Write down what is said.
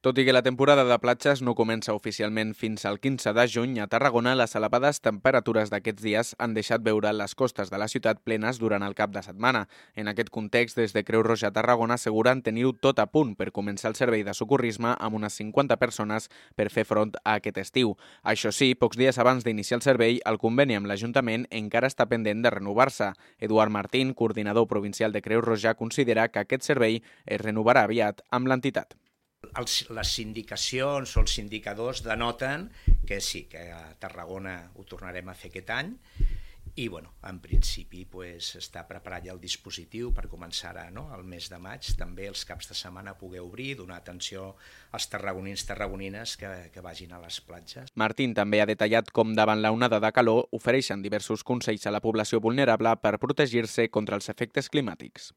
Tot i que la temporada de platges no comença oficialment fins al 15 de juny, a Tarragona les elevades temperatures d'aquests dies han deixat veure les costes de la ciutat plenes durant el cap de setmana. En aquest context, des de Creu Roja Tarragona asseguren tenir-ho tot a punt per començar el servei de socorrisme amb unes 50 persones per fer front a aquest estiu. Això sí, pocs dies abans d'iniciar el servei, el conveni amb l'Ajuntament encara està pendent de renovar-se. Eduard Martín, coordinador provincial de Creu Roja, considera que aquest servei es renovarà aviat amb l'entitat. Les indicacions o els indicadors denoten que sí, que a Tarragona ho tornarem a fer aquest any i en principi està preparat ja el dispositiu per començar al mes de maig, també els caps de setmana poder obrir, donar atenció als tarragonines que vagin a les platges. Martín també ha detallat com davant la onada de calor ofereixen diversos consells a la població vulnerable per protegir-se contra els efectes climàtics.